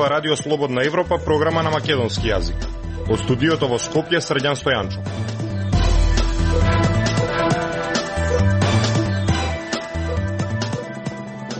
зборува Радио Слободна Европа, програма на македонски јазик. Од студиото во Скопје, Срđan Стојанчов.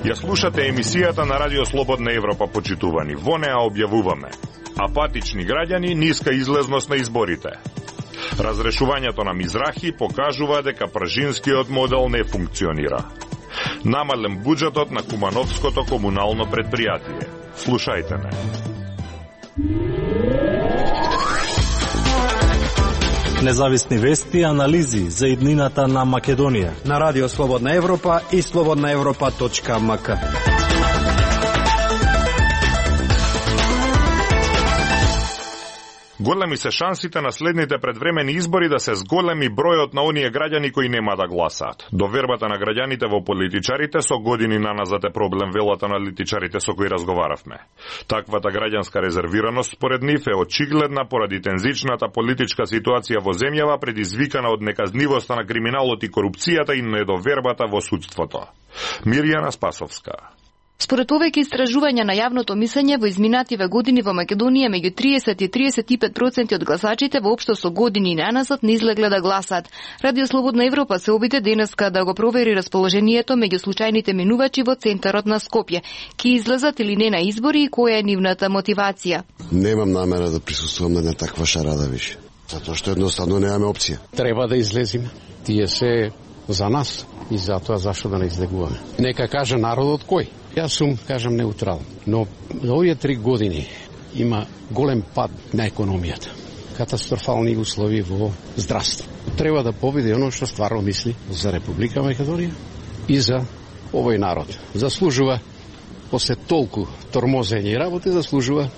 Ја слушате емисијата на Радио Слободна Европа, почитувани. Во неа објавуваме: апатични граѓани, ниска излезност на изборите. Разрешувањето на Мизрахи покажува дека пржинскиот модел не функционира. Намален буџетот на Кумановското комунално предпријатие. Слушајте ме. Независни вести и анализи за иднината на Македонија на Радио Слободна Европа и slobodnaevropa.mk. Големи се шансите на следните предвремени избори да се зголеми бројот на оние граѓани кои нема да гласаат. Довербата на граѓаните во политичарите со години наназад е проблем, велат аналитичарите со кои разговаравме. Таквата граѓанска резервираност според нив е очигледна поради тензичната политичка ситуација во земјава, предизвикана од неказнивоста на криминалот и корупцијата и недовербата во судството. Мирјана Спасовска. Според повеќе истражувања на јавното мислење во изминативе години во Македонија, меѓу 30 и 35% од гласачите воопшто со години наназад не излегле да гласаат. Радио Слободна Европа се обиде денеска да го провери расположението меѓу случајните минувачи во центарот на Скопје. Ки излезат или не на избори и која е нивната мотивација? Немам намера да присуствувам на таква шарада више, затоа што едноставно немаме опција. Треба да излезиме. Тие се за нас и затоа зашто да не излегуваме. Нека каже народот кој. Јас сум, кажам, неутрален, но за овие 3 години има голем пад на економијата. Катастрофални услови во здравство. Треба да победи оно што стварно мисли за Република Македонија и за овој народ. Заслужува, после толку тормозење и работи, заслужува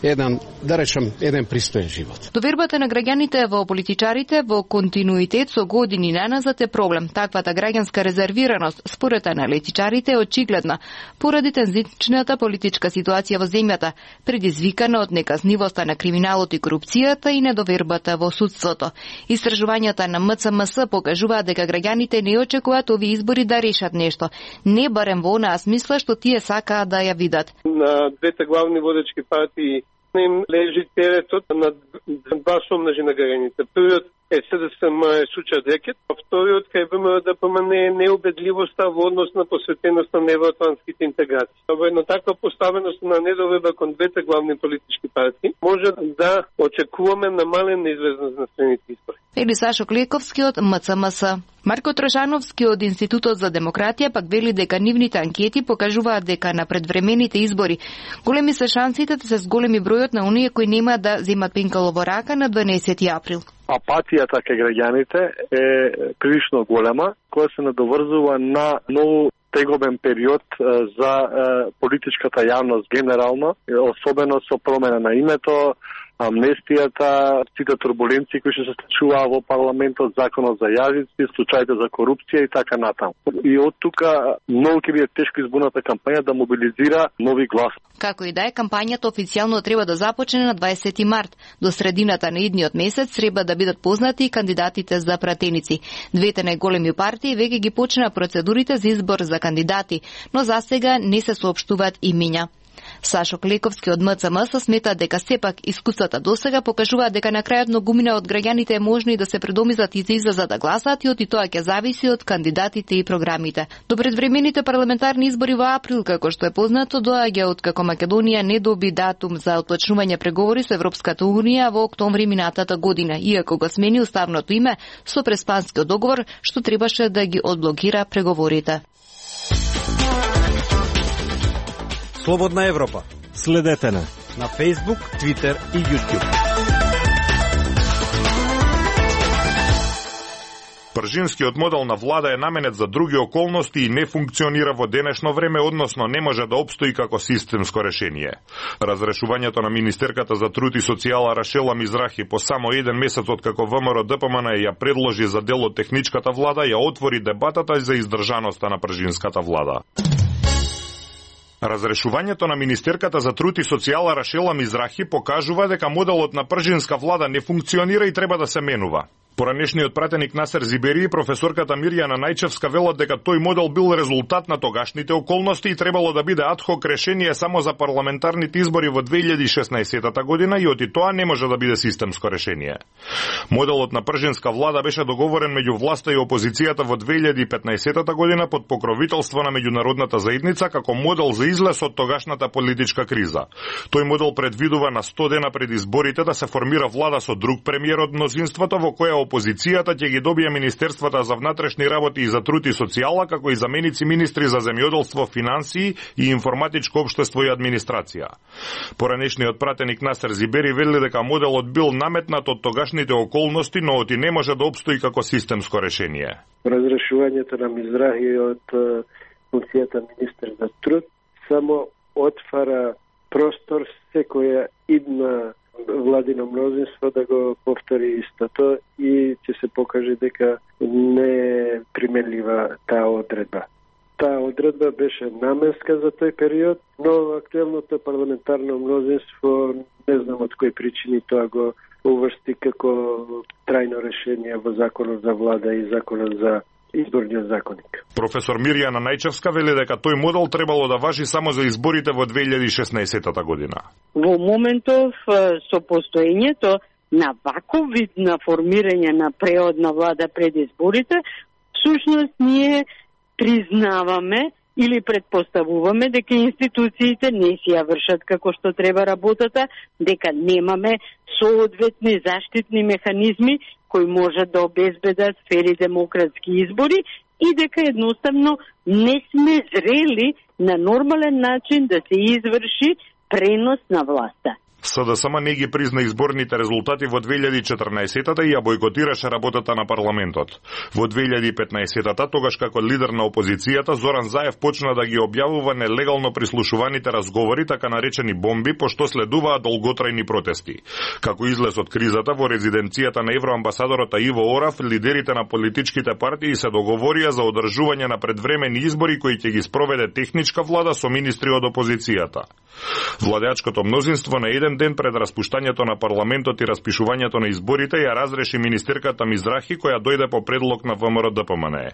еден пристоен живот. Довербата на граѓаните во политичарите во континуитет со години наназад е проблем. Таквата граѓанска резервираност, според аналитичарите, е очигледна поради тензичната политичка ситуација во земјата, предизвикана од неказнивоста на криминалот и корупцијата и недовербата во судството. Истражувањата на МЦМС покажуваат дека граѓаните не очекуваат овие избори да решат нешто, не барем во онаа смисла што тие сакаат да ја видат. На двете главни водечки партии им лежи теретот на два сомнажи на граѓаните. Првиот е СДСМ е случајот рекет, а вториот кај ВМРО-ДПМН е неубедливоста во однос на посветеноста на евроатлантските интеграции. Во една таква поставеност на недоверба кон двете главни политички партии може да очекуваме намален неизвестност на следните избори. Ели Сашо Клековски од МЦМС. Марко Трошановски од Институтот за демократија пак вели дека нивните анкети покажуваат дека на предвремените избори големи се шансите да се зголеми бројот на оние кои нема да земат пенкало во рака на 12 април. Апатијата кај граѓаните е прилично голема, која се надоврзува на многу тегобен период за политичката јавност генерално, особено со промена на името, амнестијата, сите турбуленции кои се случуваа во парламентот, законот за јазици, случаите за корупција и така натаму. И од тука многу ќе биде тешко изборната кампања да мобилизира нови гласови. Како и да е, кампањата официјално треба да започне на 20 март. До средината на идниот месец треба да бидат познати и кандидатите за пратеници. Двете најголеми партии веќе ги почнаа процедурите за избор за кандидати, но засега не се соопштуваат имиња. Сашо Клековски од МЦМС смета дека сепак искуствата досега покажуваат дека на крајот многумина од граѓаните е можно и да се предомизат и да излезат да гласаат и од тоа ќе зависи од кандидатите и програмите. До предвремените парламентарни избори во април, како што е познато, доаѓа од како Македонија не доби датум за отпочнување преговори со Европската унија во октомври минатата година, иако го смени уставното име со преспанскиот договор што требаше да ги одблокира преговорите. Слободна Европа. Следете на Facebook, Twitter и YouTube. Пржинскиот модел на влада е наменет за други околности и не функционира во денешно време, односно не може да опстои како системско решение. Разрешувањето на министерката за труд и социјала Рашела Мизрахи по само еден месец од како ВМРО-ДПМН ја предложи за дел од техничката влада, ја отвори дебатата за издржаноста на пржинската влада. Разрешувањето на министерката за труд и социјала Рашела Мизрахи покажува дека моделот на пржинска влада не функционира и треба да се менува. Поранешниот пратеник Насер Зибери и професорката Мирјана Најчевска велат дека тој модел бил резултат на тогашните околности и требало да биде адхок решение само за парламентарните избори во 2016 година и оти тоа не може да биде системско решение. Моделот на пржинска влада беше договорен меѓу власта и опозицијата во 2015 година под покровителство на меѓународната заедница како модел за излез од тогашната политичка криза. Тој модел предвидува на 100 дена пред изборите да се формира влада со друг премиер од мнозинството во која опозицијата ќе ги добие министерствата за внатрешни работи и за труд и социјала, како и заменици министри за земјоделство, финансии и информатичко општество и администрација. Поранешниот пратеник Насер Зибери вели дека моделот бил наметнат од тогашните околности, но оти не може да опстои како системско решение. Разрешувањето на Мизрахи од функцијата министер за труд само отвара простор секоја идна владино мнозинство да го повтори истото и ќе се покаже дека не е применлива таа одредба. Таа одредба беше наменска за тој период, но актуелното парламентарно мнозинство не знам од кои причини тоа го уврсти како трајно решение во законот за влада и законот за изборниот законник. Професор Мирјана Најчевска вели дека тој модел требало да важи само за изборите во 2016 година. Во моментов со постоењето на ваков вид на формирање на преодна влада пред изборите, всушност ние признаваме или предпоставуваме дека институциите не си ја вршат како што треба работата, дека немаме соодветни заштитни механизми кои можат да обезбедат фери демократски избори и дека едноставно не сме зрели на нормален начин да се изврши пренос на власта. СДСМ не ги призна изборните резултати во 2014-та и ја бойкотираше работата на парламентот. Во 2015-та, тогаш како лидер на опозицијата, Зоран Заев почна да ги објавува нелегално прислушуваните разговори, така наречени бомби, пошто следуваа долготрајни протести. Како излез од кризата, во резиденцијата на евроамбасадорот Иво Орав, лидерите на политичките партии се договорија за одржување на предвремени избори кои ќе ги спроведе техничка влада со министри од опозицијата. Владеачкото мнозинство на еден ден пред распуштањето на парламентот и распишувањето на изборите ја разреши министерката Мизрахи, која дојде по предлог на ВМРО-ДПМНЕ.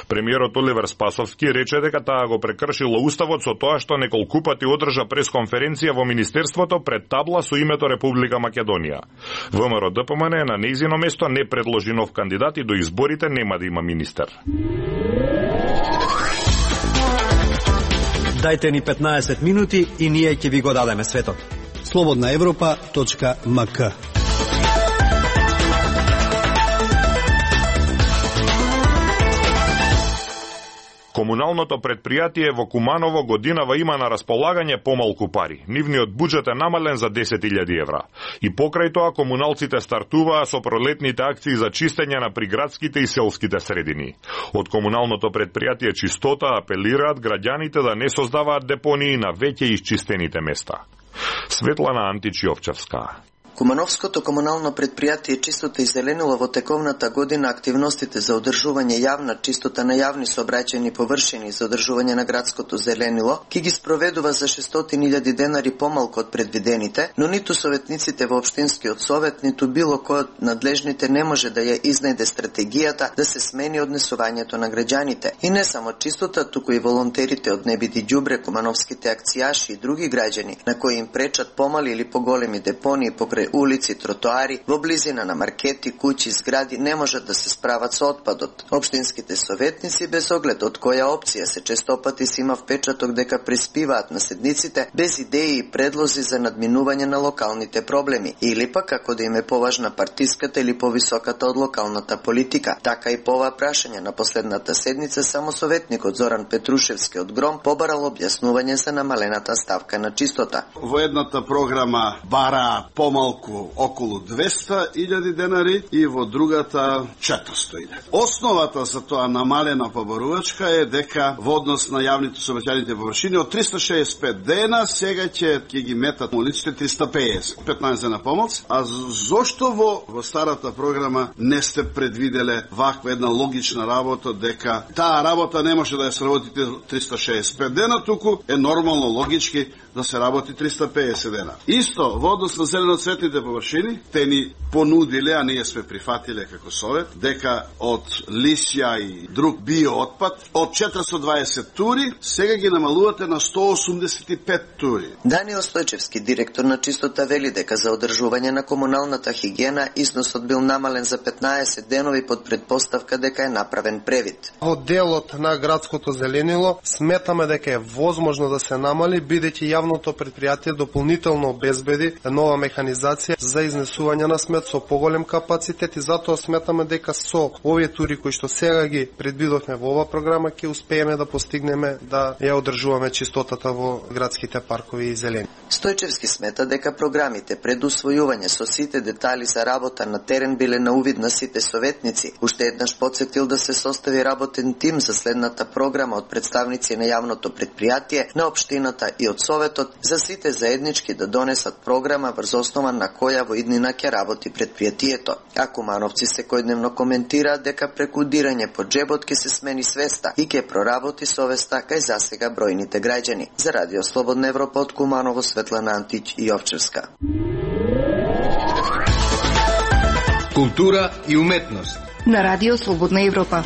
Премиерот Оливер Спасовски рече дека таа го прекршила уставот со тоа што неколку пати одржа пресконференција во министерството пред табла со името Република Македонија. ВМРО-ДПМНЕ на нејзино место не предложи нов кандидат и до изборите нема да има министер. Дајте ни 15 минути и ние ќе ви го дадеме светот. slobodnaevropa.mk. Комуналното предпријатие во Куманово годинава има на располагање помалку пари. Нивниот буџет е намален за 10.000 евра. И покрај тоа комуналците стартуваа со пролетните акции за чистење на приградските и селските средини. Од комуналното предпријатие Чистота апелираат граѓаните да не создаваат депонии на веќе исчистените места. Светлана Античиовчевска. Кумановското комунално предпријатие Чистота и зеленило во тековната година активностите за одржување јавна чистота на јавни сообраќајни површини и за одржување на градското зеленило ќе ги спроведува за 600.000 денари помалку од предвидените, но ниту советниците во општинскиот совет, ниту било кој од надлежните не може да ја изнајде стратегијата да се смени однесувањето на граѓаните. И не само Чистота, туку и волонтерите од Не биди ѓубре, кумановските акцијаши и други граѓани на кои им пречат помали или поголеми депонии покрај улици, тротоари, во близина на маркети, куќи, згради не можат да се справат со отпадот. Општинските советници, без оглед од која опција, се честопати си има впечаток дека приспиваат на седниците без идеи и предлози за надминување на локалните проблеми, или пак како да им е поважна партиската или повисоката од локалната политика. Така и по ова прашање на последната седница само советникот Зоран Петрушевски од Гром побарал објаснување за намалената ставка на Чистота. Во едната програма бара помалку околу 200.000 денари и во другата 400.000. Основата за тоа намалена побарувачка е дека во однос на јавните сообраќајните површини од 365 дена сега ќе ги метат улиците 350, 15 дена помалку. А зошто во старата програма не сте предвиделе ваква една логична работа дека таа работа не може да ја сработите 365 дена, туку е нормално логички да се работи 350 дена. Исто, во однос на зеленоцветните површини, те ни понудиле, а ние сме прифатиле како Совет, дека од лисја и друг биоотпад, од 420 тури, сега ги намалувате на 185 тури. Даниел Стојчевски, директор на Чистота, вели дека за одржување на комуналната хигиена износот бил намален за 15 денови под предпоставка дека е направен превид. Од делот на градското зеленило сметаме дека е возможно да се намали, бидејќи јавното предпријатие дополнително обезбеди нова механизација за изнесување на смет со поголем капацитет и затоа сметаме дека со овие тури кои што сега ги предвидовме во ова програма ќе успееме да постигнеме да ја одржуваме чистотата во градските паркови и зелени. Стојчевски смета дека програмите пред усвојување со сите детали за работа на терен биле на увид на сите советници. Уште еднаш потсетил да се состави работен тим за следната програма од представници на јавното предпријатие, на општината и од Советот, за сите заеднички да донесат програма врз основа на која во иднина ќе работи предпријатието. А кумановци секојдневно коментираат дека преку дирање по джебот ќе се смени свеста и ќе проработи совеста кај засега бројните граѓани. За Радио Слободна Европа од Куманово, Светлана Антич и Овчевска. Култура и уметност на Радио Слободна Европа.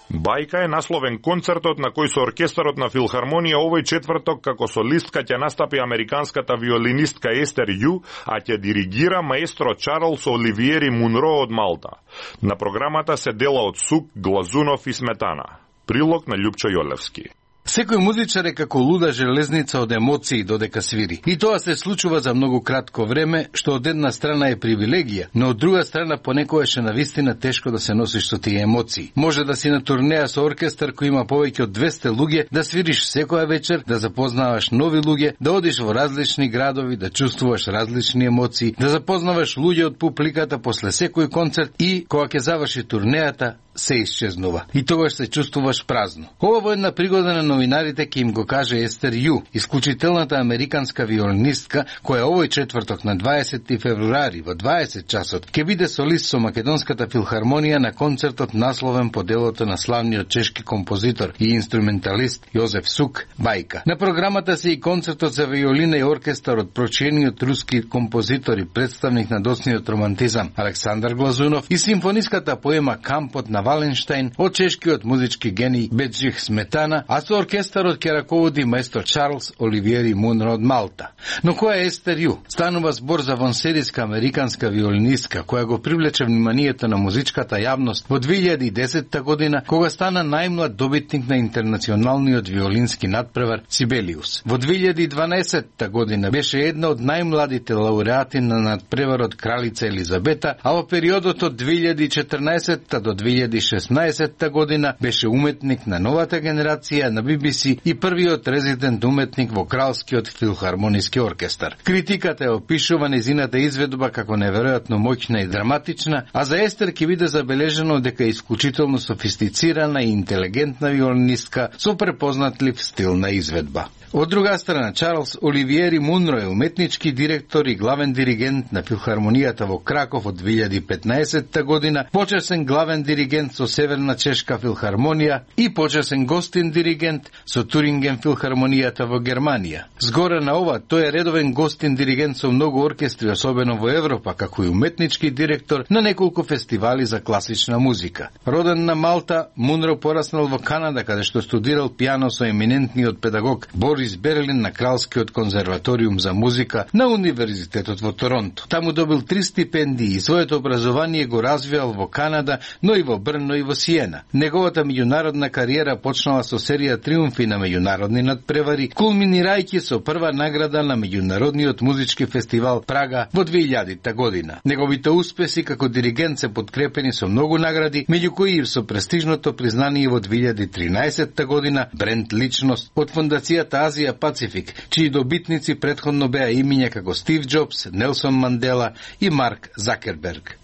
Бајка е насловен концертот на кој со оркестарот на Филхармонија овој четврток како солистка ќе настапи американската виолинистка Естер Ю, а ќе диригира маестро Чарлс Оливиери Мунро од Малта. На програмата се дела од сук, глазунов и сметана. Прилог на Љупчо Јолевски. Секој музичар е како луда железница од емоции додека свири. И тоа се случува за многу кратко време, што од една страна е привилегија, но од друга страна понекогаш е навистина тешко да се носиш со тие емоции. Може да си на турнеја со оркестар кој има повеќе од 200 луѓе, да свириш секоја вечер, да запознаваш нови луѓе, да одиш во различни градови, да чувствуваш различни емоции, да запознаваш луѓе од публиката после секој концерт и кога ќе заврши турнејата, се исчезнува. И тогаш се чувствуваш празно. Ова во една пригода на новинарите ќе им го каже Естер Ю, исклучителната американска виолинистка, која овој четврток на 20 февруари во 20 часот ќе биде солист со Македонската филхармонија на концертот насловен по делото на славниот чешки композитор и инструменталист Јозеф Сук, Бајка. На програмата се и концертот за виолина и оркестар од прочениот руски композитор и представник на доцниот романтизам Александар Глазунов и симфониската поема Кампот на Валенштайн од чешкиот музички гений Беджих Сметана, а со оркестарот ќе раководи маестро Чарлс Оливиери Мунро од Малта. Но која е Естер Ю? Станува збор за вонсерийска американска виолинистка која го привлече вниманието на музичката јавност во 2010 година, кога стана најмлад добитник на интернационалниот виолински надпревар Сибелиус. Во 2012 година беше една од најмладите лауреати на надпреварот Кралица Елизабета, а во периодот од 2014 до 2016 година беше уметник на новата генерација на BBC и првиот резидент уметник во Кралскиот филхармониски оркестар. Критиката ја опишува незината изведба како неверојатно моќна и драматична, а за Естер ќе биде забележено дека е исклучително софистицирана и интелигентна виолинистка со препознатлив стил на изведба. Од друга страна, Чарлс Оливиери Мунро е уметнички директор и главен диригент на Филхармонијата во Краков од 2015 година, почесен главен диригент со Северна чешка филхармонија и почесен гостин диригент со Туринген филхармонијата во Германија. Згоре на ова, тој е редовен гостин диригент со многу оркестри, особено во Европа, како и уметнички директор на неколку фестивали за класична музика. Роден на Малта, Мунро пораснал во Канада, каде што студирал пијано со еминентниот педагог Борис Берлин на Кралскиот конзерваториум за музика на Универзитетот во Торонто. Таму добил 3 стипендии и своето образование го развиал во Канада, но и во Брно и во Сиена. Неговата меѓународна кариера почнала со серија триумфи на меѓународни надпревари, кулминирајќи со прва награда на меѓународниот музички фестивал Прага во 2000 година. Неговите успеси како диригент се подкрепени со многу награди, меѓу кои и со престижното признание во 2013 година бренд личност од фондацијата Азија Пацифик, чии добитници претходно беа имиња како Стив Џобс, Нелсон Мандела и Марк Закерберг.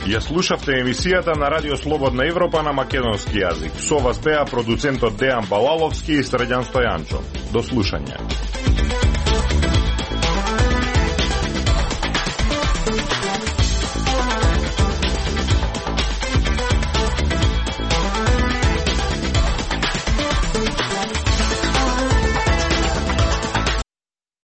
Ја слушавте емисијата на Радио Слободна Европа на македонски јазик. Со вас беа продуцентот Дејан Балаловски и Средјан Стојанчо. До слушање.